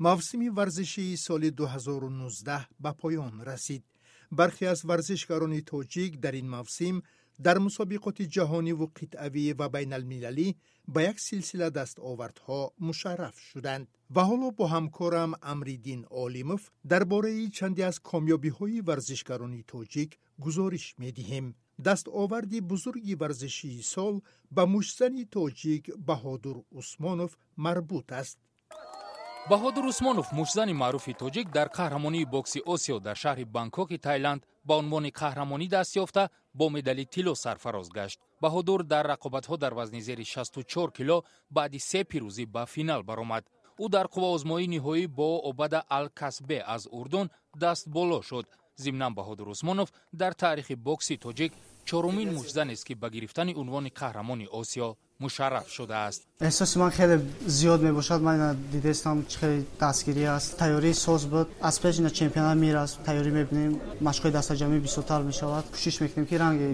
Мавсими варзишии соли 2019 ба поён расид. Бархе аз варзишгарони тоҷик дар ин мавсим дар мусобиқоти ҷаҳониву қитъавӣ ва байналмилалӣ ба як силсила дастовардҳо мушарраф шуданд. Ва ҳоло бо ҳамкорам Амриддин Олимов дар бораи чанде аз комёбиҳои варзишгарони тоҷик гузориш медиҳем. Дастоварди бузурги варзишии сол ба муштзани тоҷик Баҳодур Усмонов марбут аст. Баҳодур Усмонов, муштзани маъруфи тоҷик, дар қаҳрамонии бокси Осиё дар шаҳри Бангкоки Тайланд ба унвони қаҳрамонӣ даст ёфта, бо медали тилло сарфароз гашт. Баҳодур дар рақобатҳо дар вазни зери 64 кило баъди се пирӯзӣ ба финал баромад. Ӯ дар қувваозмоии ниҳоӣ бо Обада Алкасбе аз Урдун даст боло шуд. Зимнан, Баҳодур Усмонов дар таърихи бокси тоҷик чорумин муштзанест, ки ба гирифтани унвони қаҳрамони Осиё мушарраф шудааст. Эҳсоси ман хеле зиёд мебошад. Ман ина дидестам, чӣ хеле дастгирӣ аст. Тайёрии соз буд. Аз пеш ина чемпионат мераст, тайёрӣ мебинем, машқҳои дастаҷамъӣ бисёртар мешавад. Кӯшиш мекунем, ки ранги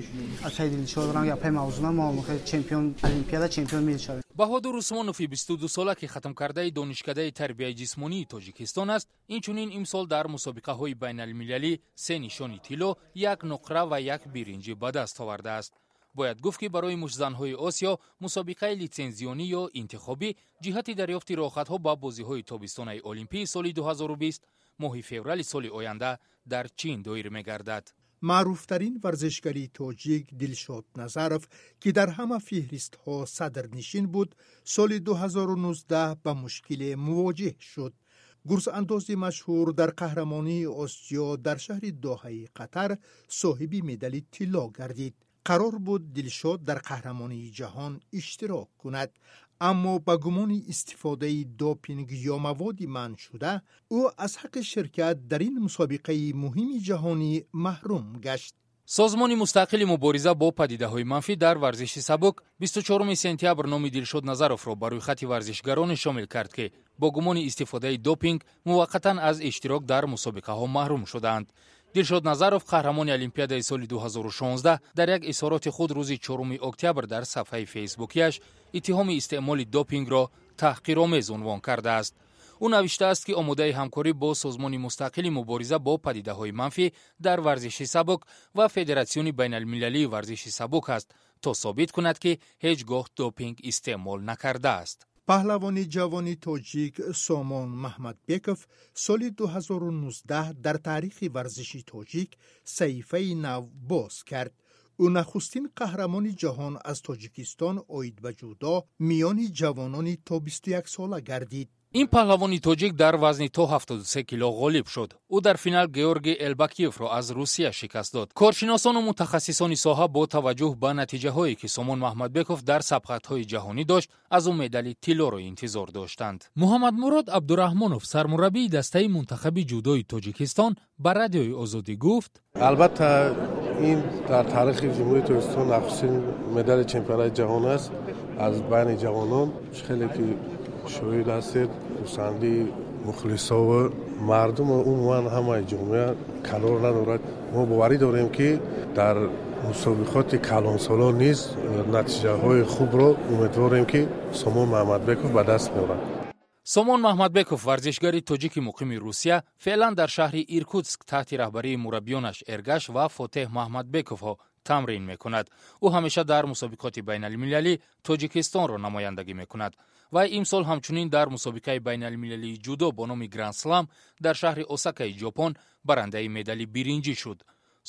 акаи Дилшод, ранги апаи Мавзуна мо хеле чемпион олимпиада, чемпион мешавем. Баҳодур Усмонови 22сола, ки хатмкардаи Донишкадаи тарбияи ҷисмонии Тоҷикистон аст, инчунин имсол дар мусобиқаҳои байналмилалӣ се нишони тилло, як нуқра ва як биринҷӣ ба даст овардааст. Бояд гуфт, ки барои муштзанҳои Осиё мусобиқаи литсензионӣ ё интихобӣ ҷиҳати дарёфти роҳхатҳо ба бозиҳои тобистонаи олимпии соли 2020 моҳи феврали соли оянда дар Чин доир мегардад. Маъруфтарин варзишгари тоҷик Дилшод Назаров, ки дар ҳама феҳристҳо садрнишин буд, соли 2019 ба мушкиле мувоҷеҳ шуд. Гурзандози машҳур дар қаҳрамонии Осиё дар шаҳри Доҳаи Қатар соҳиби медали тилло гардид. Қарор буд Дилшод дар қаҳрамонии ҷаҳон иштирок кунад, аммо ба гумони истифодаи допинг ё маводи манъшуда ӯ аз ҳаққи ширкат дар ин мусобиқаи муҳими ҷаҳонӣ маҳрум гашт. Созмони мустақили мубориза бо падидаҳои манфӣ дар варзиши сабук 24 сентябр номи Дилшод Назаровро ба рӯйхати варзишгароне шомил кард, ки бо гумони истифодаи допинг муваққатан аз иштирок дар мусобиқаҳо маҳрум шудаанд. Дилшод Назаров, қаҳрамони олимпиадаи соли 2016, дар як изҳороти худ рӯзи 4 октябр дар сафҳаи фейсбукияш иттиҳоми истеъмоли допингро таҳқиромез унвон кардааст. Ӯ навиштааст, ки омодаи ҳамкорӣ бо созмони мустақили мубориза бо падидаҳои манфӣ дар варзиши сабук ва Федератсиони байналмилалии варзиши сабук аст, то собит кунад, ки ҳеҷ гоҳ допинг истеъмол накардааст. Паҳлавони ҷавони тоҷик Сомон Маҳмадбеков соли 2019 дар таърихи варзиши тоҷик саҳифаи нав боз кард. Ӯ нахустин қаҳрамони ҷаҳон аз Тоҷикистон оид ба ҷудо миёни ҷавонони то 21 сола гардид. Ин паҳлавони тоҷик дар вазни то 73 кило ғолиб шуд. Ӯ дар финал Георгий Элбакиевро аз Русия шикаст дод. Коршиносону мутахассисони соҳа бо таваҷҷӯҳ ба натиҷаҳое, ки Сомон Маҳмадбеков дар сабқатҳои ҷаҳонӣ дошт, аз ӯ медали тиллоро интизор доштанд. Муҳаммадмурод Абдураҳмонов, сармураббии дастаи мунтахаби ҷудои Тоҷикистон, ба Радиои Озодӣ гуфт: Албатта, ин дар таърихи Ҷумҳурии Тоҷикистон нахустин медали чемпионати ҷаҳон аст аз байни ҷавонон. Хеле ки шоҳид ҳастед, хурсандии мухлисову мардуму умуман ҳамаи ҷомеа канор надорад. Мо боварӣ дорем, ки дар мусобиқоти калонсолон низ натиҷаҳои хубро умедворем, ки Сомон Маҳмадбеков ба даст меорад. Сомон Маҳмадбеков, варзишгари тоҷики муқими Русия, феълан дар шаҳри Иркутск таҳти раҳбарии мураббиёнаш Эргаш ва Фотеҳ Маҳмадбековҳо тамрин мекунад. Ӯ ҳамеша дар мусобиқоти байналмилалӣ Тоҷикистонро намояндагӣ мекунад ва имсол ҳамчунин дар мусобиқаи байналмилалии ҷудо бо номи Гранд-слам дар шаҳри Осакаи Ҷопон барандаи медали биринҷӣ шуд.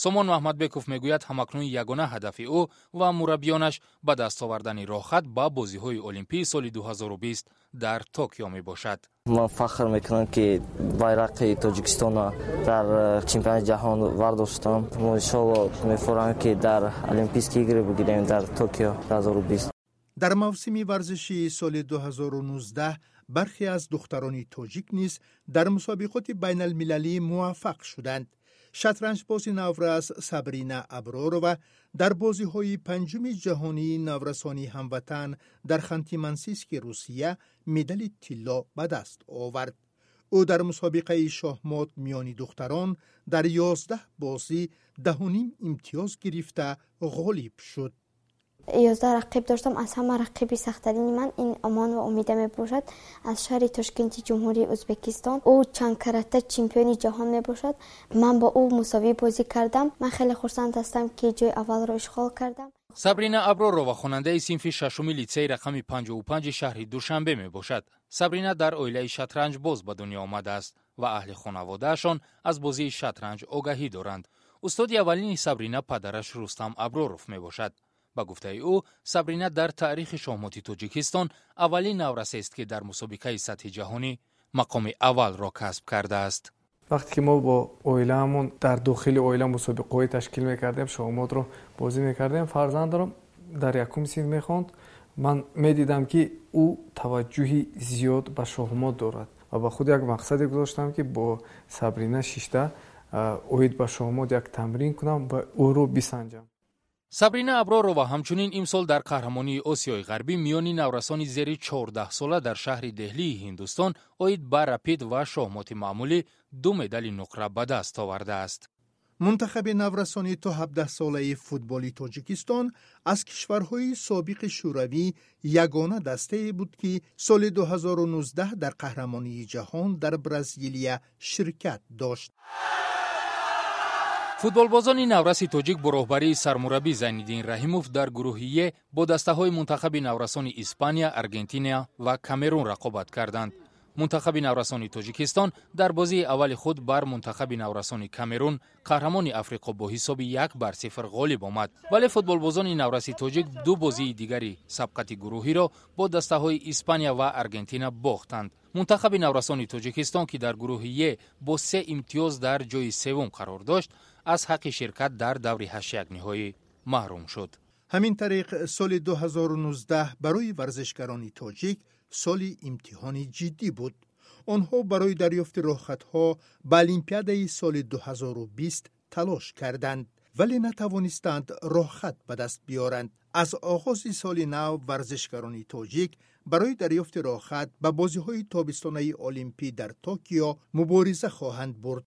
Сомон Маҳмадбеков мегӯяд, ҳамакнун ягона ҳадафи ӯ ва мураббиёнаш ба даст овардани роҳхат ба бозиҳои олимпии соли 2020 дар Токио мебошад. Ман фахр мекунам, ки байрақи Тоҷикистонро дар чемпионати ҷаҳон вардоштам. Мо, иншоалло, мефорам, ки дар Олимпийские игры бигирем дар Токио 2020. Дар мавсими варзишии соли 2019 бархе аз духтарони тоҷик низ дар мусобиқоти байналмилалӣ муваффақ шуданд. Шатранҷбози наврас Сабрина Абророва дар бозиҳои панҷуми ҷаҳонии наврасони ҳамватан дар Ханти-Мансийски Русия медали тилло ба даст овард. Ӯ дар мусобиқаи шоҳмот миёни духтарон дар 11 бозӣ 10,5 имтиёз гирифта, ғолиб шуд. 11 рақиб доштам. Аз ҳама рақиби сахттарини ман ин Омон ва Умида мебошад, аз шаҳри Тошкенти Ҷумҳурии Ӯзбекистон. Ӯ чандкарата чемпиони ҷаҳон мебошад. Ман бо ӯ мусовӣ бозӣ кардам. Ман хеле хурсанд ҳастам, ки ҷои аввалро ишғол кардам. Сабрина Абророва хонандаи синфи шашуми литсеи рақами 55 шаҳри Душанбе мебошад. Сабрина дар оилаи шатранҷбоз ба дунё омадааст ва аҳли хонаводаашон аз бозии шатранҷ огаҳӣ доранд. Устоди аввалини Сабрина падараш Рустам Аброров мебошад. Ба гуфтаи ӯ, Сабрина дар таърихи шоҳмоти Тоҷикистон аввалин наврасест, ки дар мусобиқаи сатҳи ҷаҳонӣ мақоми аввалро касб кардааст. Вақте ки мо бо оилаамон дар дохили оила мусобиқаҳое ташкил мекардем, шоҳмотро бозӣ мекардем, фарзандро дар якум синф мехонд, ман медидам, ки ӯ таваҷҷӯҳи зиёд ба шоҳмот дорад ва ба худ як мақсаде гузоштам, ки бо Сабрина шишта оид ба шоҳмот як тамрин кунам ва ӯро бисанҷам. Сабрина Абророва ҳамчунин имсол дар қаҳрамонии Осиёи Ғарбӣ миёни наврасони зери 14сола дар шаҳри Деҳлии Ҳиндустон оид ба рапид ва шоҳмоти маъмулӣ ду медали нуқра ба даст овардааст. Мунтахаби наврасони то 17-солаи футболи Тоҷикистон аз кишварҳои собиқи Шӯравӣ ягона дастае буд, ки соли 2019 дар қаҳрамонии ҷаҳон дар Бразилия ширкат дошт. Футболбозони навраси тоҷик бо роҳбарии сармураббӣ Зайниддин Раҳимов дар гурӯҳи Е бо дастаҳои мунтахаби наврасони Испания, Аргентина ва Камерун рақобат карданд. Мунтахаби наврасони Тоҷикистон дар бозии аввали худ бар мунтахаби наврасони Камерун, қаҳрамони Африқо, бо ҳисоби 1-0 ғолиб омад, вале футболбозони навраси тоҷик ду бозии дигари сабқати гурӯҳиро бо дастаҳои Испания ва Аргентина бохтанд. Мунтахаби наврасони Тоҷикистон, ки дар гурӯҳи Е бо се имтиёз дар ҷои севум қарор дошт, аз ҳаққи ширкат дар даври ҳаштякниҳоӣ маҳрум шуд. Ҳамин тариқ, соли 2019 барои варзишгарони тоҷик соли имтиҳони ҷиддӣ буд. Онҳо барои дарёфти роҳхатҳо ба Олимпиадаи соли 2020 талош карданд, вале натавонистанд роҳхат ба даст биёранд. Аз оғози соли нав варзишгарони тоҷик барои дарёфти роҳхат ба бозиҳои тобистонаи олимпӣ дар Токио мубориза хоҳанд бурд.